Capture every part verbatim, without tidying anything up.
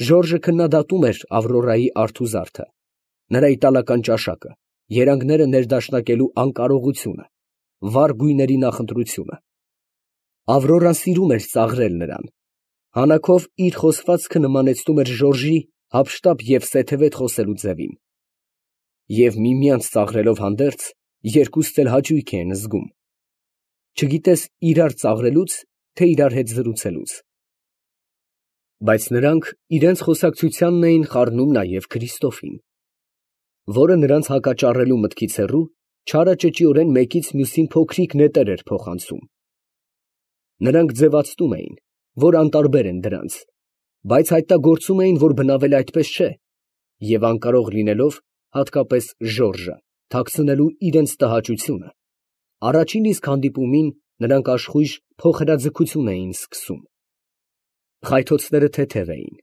Ժորժը քննադատում էր Ավրորայի արթուզարդը, նրա իտալական ճաշակը, երանգները ներդաշնակելու անկարողությունը, վառ գույների նախընտրությունը։ Ավրորան սիրում էր ծաղրել նրան, հանակով իր խոսվածքը նմանեցնում էր Ժորժի հափշտապ և սեթևետ խոսելու ձևին։ Եվ միմյանց ծաղրելով հանդերձ, երկուստ էլ հաճույք էին զգում, չգիտես իրար ծաղրելուց, թե իրար հետ զրուցելուց։ Բայց նրանք իրենց խոսակցությանն էին խառնում նաև Քրիստոֆին, որը նրանց հակաճառելու մտքից հեռու, չարաճճիորեն մեկից մյուսին փոքրիկ նետեր էր փոխանցում։ Նրանք ձևացնում էին, որ անտարբեր են դրանց, բայց հայտնագործում էին, որ բնավել այդպես չէ, և անկարող լինելով, հատկապես Ժորժը, թաքցնելու իրենց տհաճությունը, առաջին իսկ հանդիպումին նրանք աշխույժ փոխհրաձգություն էին սկսում։ Խայթոցները թեթև էին,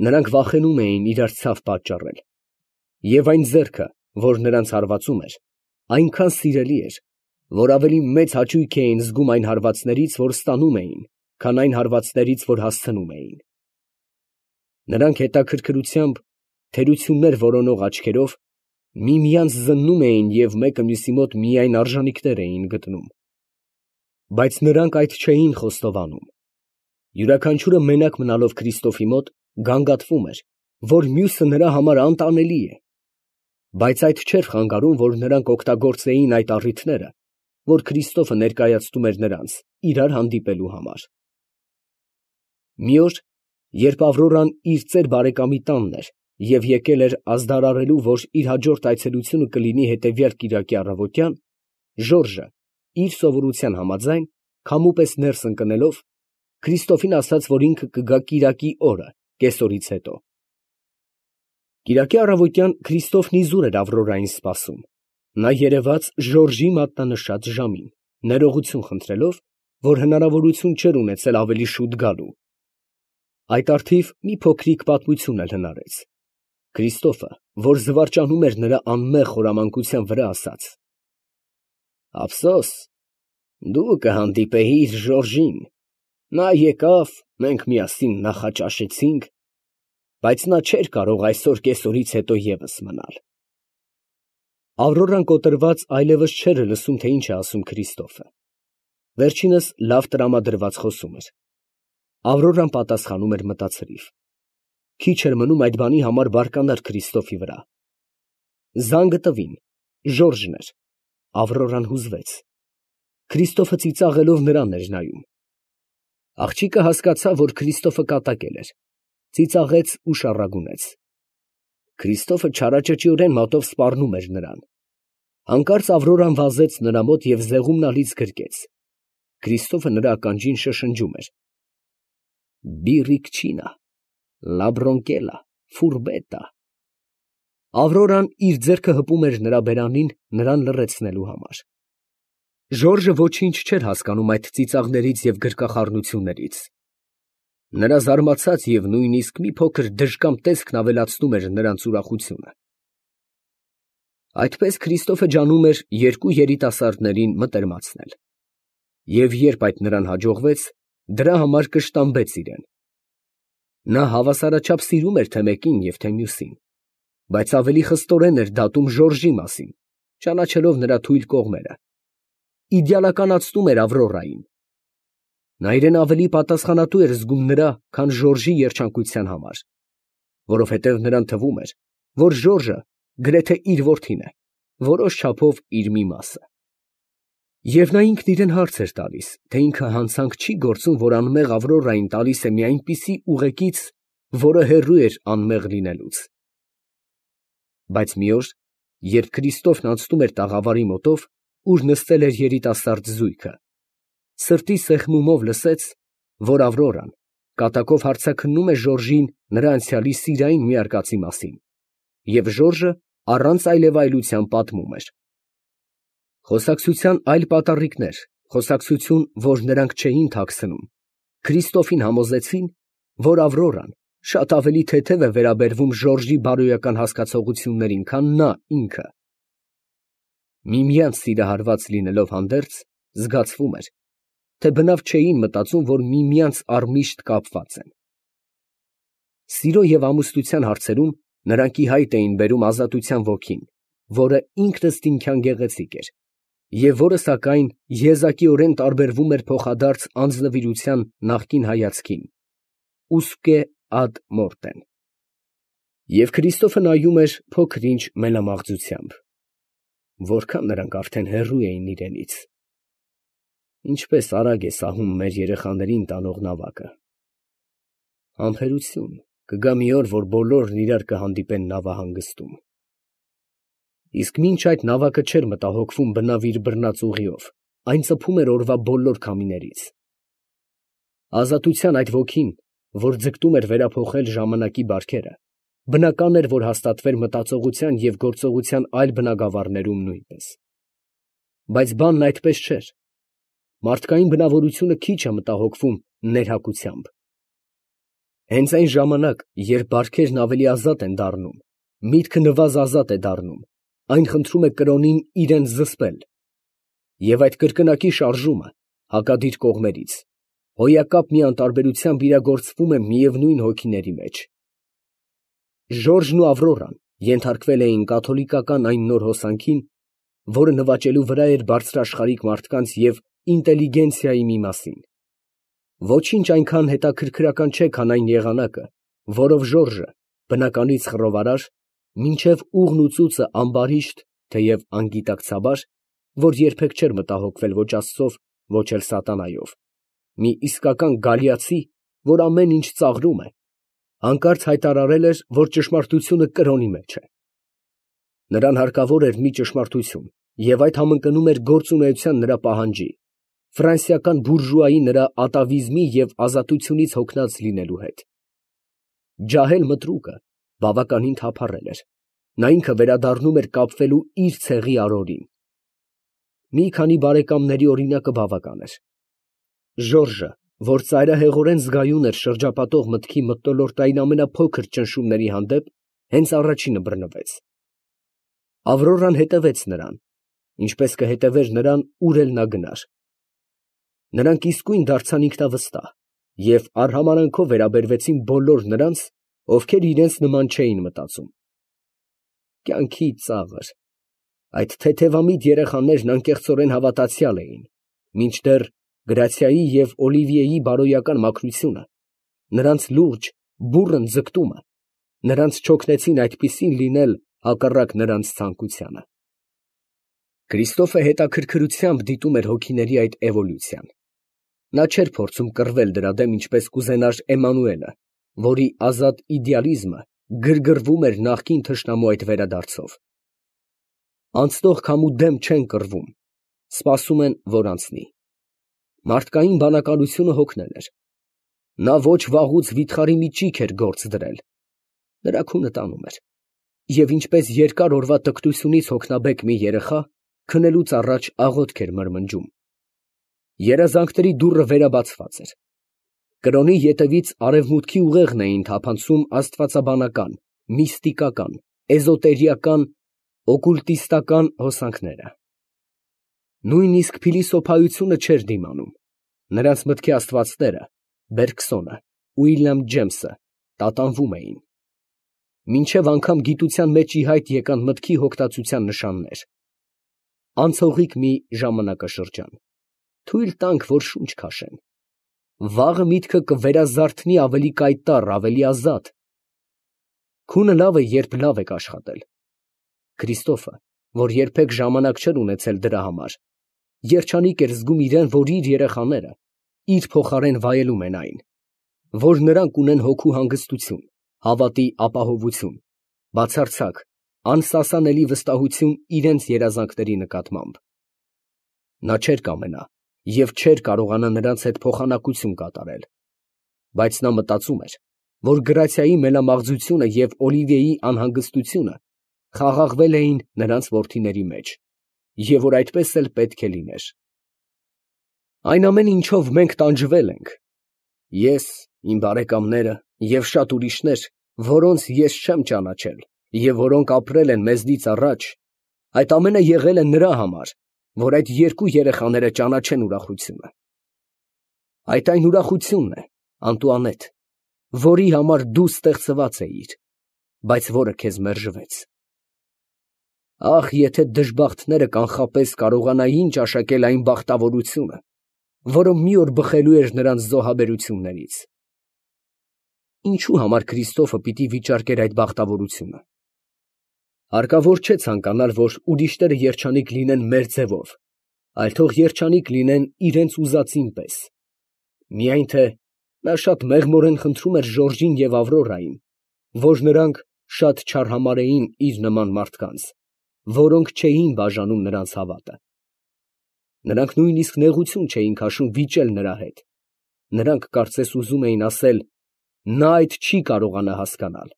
նրանք վախենում էին իրար ցավ պատճառել, և այն ձեռքը, որ նրանց հարվածում էր, այնքան սիրելի էր, որ ավելի մեծ հաճույք էին զգում այն հարվածներից, որ ստանում էին, քան այն հարվածներից, որ հասցնում էին։ Նրանք հետաքրքրությամբ, թերություններ որոնող աչքերով միմյանց զննում էին և մեկը մյուսի մոտ միայն արժանիքներ էին գտնում։ Բայց նրանք այդ չէին խոստովանում։ Յուրաքանչյուրը մենակ մնալով Քրիստոֆի մոտ, գանգատվում էր, որ մյուսը նրա համար անտանելի է, բայց այդ չէր խանգարում, որ նրանք օգտագործեին այդ առիթները, որ Քրիստոֆը ներկայացնում էր նրանց իրար հանդիպելու համար։ Մի օր, երբ Ավրորան իր ծեր բարեկամի տանն էր և եկել էր ազդարարելու, որ իր հաջորդ այցելությունը կլինի հետևյալ կիրակի առավոտյան, Ժորժը, իր սովորության համաձայն, քամու պես ներս ընկնելով, Քրիստոֆին ասաց, որ ինքը կգա կիրակի օրը, կեսօրից հետո։ Կիրակի առավոտյան Քրիստոֆն իզուր էր Ավրորային սպասում, նա երևաց Ժորժի մատնանշած ժամին, ներողություն խնդրելով, որ հնարավորություն չէր ունեցել ավելի շուտ գալու։ Այդ առթիվ մի փոքրիկ պատմություն էլ հնարեց։ Քրիստոֆը, որ զվարճանում էր նրա անմեղ խորամանկության վրա, ասաց. «Ափսոս, դու կհանդիպեիր Ժորժին, նա եկավ, մենք միասին նախաճաշեցինք, բայց նա չէր կարող այսօր կեսօրից հետո ևս մնալ»։ Ավրորան կոտրված այլևս չէր լսում, թե ինչ է ասում Քրիստոֆը։ Վերջինս լավ տրամադրված խոսում էր։ Ավրորան պատասխանում էր մտածրիվ։ Քիչ էր մնում այդ բանի համար բարկանար Քրիստոֆի վրա։ Զանգը տվին, Ժորժն էր։ Ավրորան հուզվեց։ Քրիստոֆը ծիծաղելով նրան էր նայում։ Աղջիկը հասկացավ, որ Քրիստոֆը կատակել էր, ծիծաղեց ու շառագունեց։ Քրիստոֆը չարաճճիորեն մատով սպառնում էր նրան։ Հանկարծ Ավրորան վազեց նրա մոտ և զեղումն ալից գրկեց։ Քրիստոֆը նրա ականջին շշնջում էր. «Բիրիկչինա, լաբրոնկելա, ֆուրբետա»։ Ավրորան իր ձեռքը հպում էր նրա բերանին, նրան լռեցնելու համար։ Ժորժը ոչինչ չէր հասկանում այդ ծիծաղներից և գրկախառնություններից։ Նրա զարմացած և նույնիսկ մի փոքր դժկամ տեսքն ավելացնում էր նրանց ուրախությունը։ Այդպես Քրիստոֆը ջանում էր երկու երիտասարդներին մտերմացնել։ Եվ երբ այդ նրան հաջողվեց, դրա համար կշտամբեց իրեն։ Նա հավասարաչափ սիրում էր թե մեկին և թե մյուսին, բայց ավելի խստորեն էր դատում Ժորժի մասին, ճանաչելով նրա թույլ կողմերը, իդեալականացնում էր Ավրորային։ Նա իրեն ավելի պատասխանատու էր զգում նրա, քան Ժորժի երջանկության համար, որովհետև նրան թվում էր, որ Ժորժը գրեթե իր որդին է, որոշ չափով իր մի մասը։ Եվ նա ինքն իրեն հարց էր տալիս, թե ինքը հանցանք չի գործում, որ անմեղ Ավրորային տալիս է մի այնպիսի ուղեկից, որը հեռու էր անմեղ լինելուց։ Բայց մի օր, երբ Քրիստոֆն անցնում էր տաղավարի մոտով, ուր նստել էր երիտասարդ զույգը, սրտի սեղմումով լսեց, որ Ավրորան կատակով հարցաքննում է Ժորժին նրա անցյալի սիրային մի արկածի մասին, և Ժորժը առանց այլևայլության պատմում էր։ Խոսակցության այլ պատառիկներ, խոսակցություն, որ նրանք չէին թաքցնում, Քրիստոֆին համոզեցին, որ Ավրորան շատ ավելի թեթև է վերաբերվում Ժորժի բարոյական հասկացողություններին, քան նա ինքը։ Միմյանց սիրահարված լինելով հանդերձ, զգացվում էր, թե բնավ չէին մտածում, որ միմյանց առմիշտ կապված են։ Սիրո և ամուսնության հարցերում նրանք ի հայտ էին բերում ազատության ոգին, որը ինքնըստինքյան գեղեցիկ էր, և որը, սակայն, եզակիորեն տարբերվում էր փոխադարձ անձնվիրության նախկին հայացքին (usque ad mortem)։ Եվ Քրիստոֆը նայում էր փոքր֊ինչ մենամաղձությամբ. որքան նրանք արդեն հեռու էին իրենից… Ինչպես արագ է սահում մեր երեխաներին տանող նավակը… Համբերություն, կգա մի օր, որ բոլորն իրար կհանդիպեն նավահանգստում… Իսկ մինչ այդ նավակը չէր մտահոգվում բնավ իր բռնած ուղիով, այն ծփում էր օրվա բոլոր քամիներից… Ազատության այդ ոգին, որ ձգտում էր վերափոխել ժամանակի բարքերը, բնական էր, որ հաստատվեր մտածողության և գործողության այլ բնագավառներում նույնպես… Բայց բանն այդպես չէր… Մարդկային բնավորությունը քիչ է մտահոգվում ներհակությամբ… Հենց այն ժամանակ, երբ բարքերն ավելի ազատ են դառնում, միտքը նվազազատ է դառնում, այն խնդրում է կրոնին իրան զսպել… Եվ այդ կրկնակի շարժումը, հակադիր կողմերից, հոյակապ մի անտարբերությամբ իրագործվում է միևնույն հոգիների մեջ… Ժորժն ու Ավրորան ենթարկվել էին կաթոլիկական այն նոր հոսանքին, որը նվաճելու վրա էր բարձրաշխարհիկ մարդկանց և ինտելիգենցիայի մի մասին… Ոչինչ այնքան հետաքրքրական չէ, քան այն եղանակը, որով Ժորժը, բնականից խռովարար, մինչև ուղն ու ծուծը ամբարիշտ, թեև անգիտակցաբար, որ երբեք չէր մտահոգվել ոչ աստծով, ոչ էլ սատանայով, մի իսկական գալիացի, որ ամեն ինչ ծաղրում է, հանկարծ հայտարարել էր, որ ճշմարտությունը կրոնի մեջ է… Նրան հարկավոր էր մի ճշմարտություն, և այդ համընկնում էր գործունեության նրա պահանջի, ֆրանսիական բուրժուայի նրա ատավիզմի և ազատությունից հոգնած լինելու հետ… Ջահել մտրուկը բավականին թափառել էր, նա ինքը վերադառնում էր կապվելու իր ցեղի արորին… Մի քանի բարեկամների օրինակը բավական էր… Ժորժը, որ ծայրահեղորեն զգայուն էր շրջապատող մտքի մթնոլորտային ամենափոքր ճնշումների հանդեպ, հենց առաջինը բռնվեց… Ավրորան հետևեց նրան, ինչպես կհետևեր նրան, ուր էլ նա գնար… Նրանք իսկույն դարձան ինքնավստահ և արհամարհանքով վերաբերվեցին բոլոր նրանց, ովքեր իրենց նման չէին մտածում… Կյանքի ծաղր… Այդ թեթևամիտ երեխաներն անկեղծորեն հավատացյալ էին, մինչդեռ Գրացիայի և Օլիվիեի բարոյական մաքրությունը, նրանց լուրջ, բուռն ձգտումը նրանց չօգնեցին այդպիսին լինել հակառակ նրանց ցանկությանը… Քրիստոֆը հետաքրքրությամբ դիտում էր հոգիների այդ էվոլյուցիան… Նա չէր փորձում կռվել դրա դեմ, ինչպես կուզենար Էմմանուելը, որի ազատ իդեալիզմը գրգռվում էր նախկին թշնամու այդ վերադարձով… Անցնող քամու դեմ չեն կռվում, սպասում են, որ անցնի… Մարդկային բանականությունը հոգնել էր… Նա ոչ վաղուց վիթխարի մի ճիգ էր գործ դրել… Նրա քունը տանում էր… Եվ ինչպես երկար օրվա տկտությունից հոգնաբեկ մի երեխա, քնելուց առաջ աղոթք էր մրմնջում… Երազանքների դուռը վերաբացված էր… Կրոնի ետևից արևմուտքի ուղեղն էին թափանցում աստվածաբանական, միստիկական, էզոտերիական, օկուլտիստական հոսանքները… Նույնիսկ փիլիսոփայությունը չէր դիմանում… Նրանց մտքի աստվածները, Բերգսոնը, Ուիլյամ Ջեյմսը տատանվում էին… Մինչև անգամ գիտության մեջ ի հայտ եկան մտքի հոգտածության նշաններ… Անցողիկ մի ժամանակաշրջան… Թույլ տանք, որ շունչ քաշեն… Վաղը միտքը կվերազարթնի ավելի կայտառ, ավելի ազատ… Քունը լավ է, երբ լավ եք աշխատել… Քրիստոֆը, որ երբեք ժամանակ չէր ունեցել դրա համար, երջանիկ էր զգում իրան, որ իր երեխաները իր փոխարեն վայելում են այն… Որ նրանք ունեն հոգու հանգստություն, հավատի ապահովություն, բացարձակ, անսասանելի վստահություն իրենց երազանքների նկատմամբ… Նա չէր կամենա և չէր կարողանա նրանց հետ փոխանակություն կատարել… Բայց նա մտածում էր, որ Գրացիայի մենամաղձությունը և Օլիվիեի անհանգստությունը խաղաղվել էին նրանց որդիների մեջ, և որ այդպես էլ պետք է լիներ… Այն ամեն ինչով մենք տանջվել ենք… Ես, իմ բարեկամները և շատ ուրիշներ, որոնց ես չեմ ճանաչել և որոնք ապրել են մեզնից առաջ… Այդ ամենը եղել է նրա համար, որ այդ երկու երեխաները ճանաչեն ուրախությունը… Այդ այն ուրախությունն է, Անտուանետ, որի համար դու ստեղծված էիր, բայց որը քեզ մերժվեց։ Ախ, եթե դժբախտները կանխապես կարողանային ճաշակել այն բախտավորությունը, որը մի օր բխելու էր նրանց զոհաբերություններից։ Ինչու համար Քրիստոֆը պիտի վիճարկեր այդ բախտավորությունը։ Հարկավոր չէ ցանկանալ, որ ուրիշները երջանիկ լինեն մեր ձևով, այլ թող երջանիկ լինեն իրենց ուզածին պես։ Միայն թե նա շատ մեղմորեն խնդրում էր Ժորժին և Ավրորային, որ նրանք շատ չարհամարհեին իր նման մարդկանց, որոնք չէին բաժանում նրանց հավատը։ Նրանք նույնիսկ նեղություն չէին քաշում վիճել նրա հետ։ Նրանք կարծես ուզում էին ասել. նա այդ չի կարողանա հասկանալ։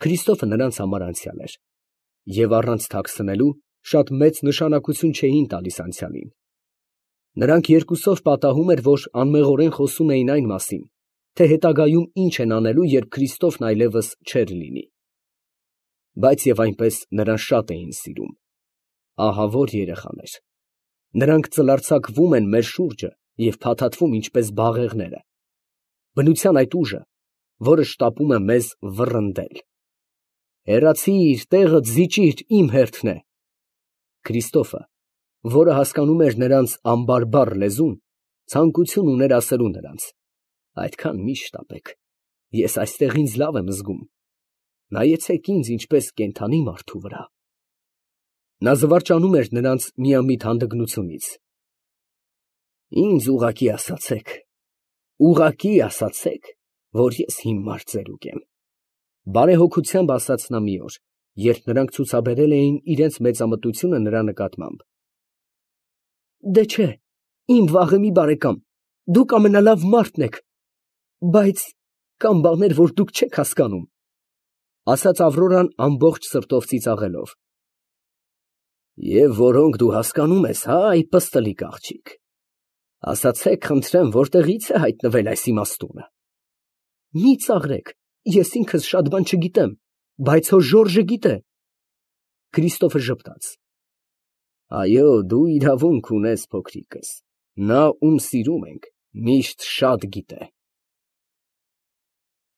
Քրիստոֆը նրանց համար անցյալ էր, և առանց թաքցնելու շատ մեծ նշանակություն չէին տալիս անցյալին։ Նրանք երկուսով պատահում էր, որ անմեղորեն խոսում էին այն մասին, թե հետագայում ինչ են անելու, երբ Քրիստոֆն այլևս չէր լինի։ Բայց և այնպես նրան շատ էին սիրում։ Ահավոր երեխաներ։ Նրանք ծլարձակվում են մեր շուրջը և փաթաթվում ինչպես բաղեղները։ Բնության այդ ուժը, որը շտապում է մեզ վռնդել։ Հեռացի՛ր, տեղդ զիջիր, իմ հերթն է։ Քրիստոֆը, որը հասկանում էր նրանց անբարբառ լեզուն, ցանկություն ուներ ասելու նրանց. այդքան մի շտապեք, ես այստեղ ինձ լավ եմ զգում, նայեցեք ինձ ինչպես կենդանի մարդու վրա։ Նա զվարճանում էր նրանց միամիտ հանդգնությունից։ Ինձ ուղղակի ասացեք, ուղղակի ասացեք, որ ես հիմար ծերուկ եմ, բարեհոգությամբ ասաց նա մի օր, երբ նրանք ցուցաբերել էին իրենց մեծամտությունը նրա նկատմամբ։ Դե չէ, իմ վաղեմի բարեկամ, դուք ամենալավ մարդն եք, բայց կան բաներ, որ դուք չեք հասկանում, ասաց Ավրորան ամբողջ սրտով ծիծաղելով։ Եվ որոնք դու հասկանում ես, հա, այ պստլիկ աղջիկ, ասացեք, խնդրեմ, որտեղից է հայտնվել այս իմաստությունը։ Մի ծաղրեք, ես ինքս շատ բան չգիտեմ, բայց հո Ժորժը գիտե։ Քրիստոֆը ժպտաց։ Այո, դու իրավունք ունես, փոքրիկս, նա, ում սիրում ենք, միշտ շատ գիտե։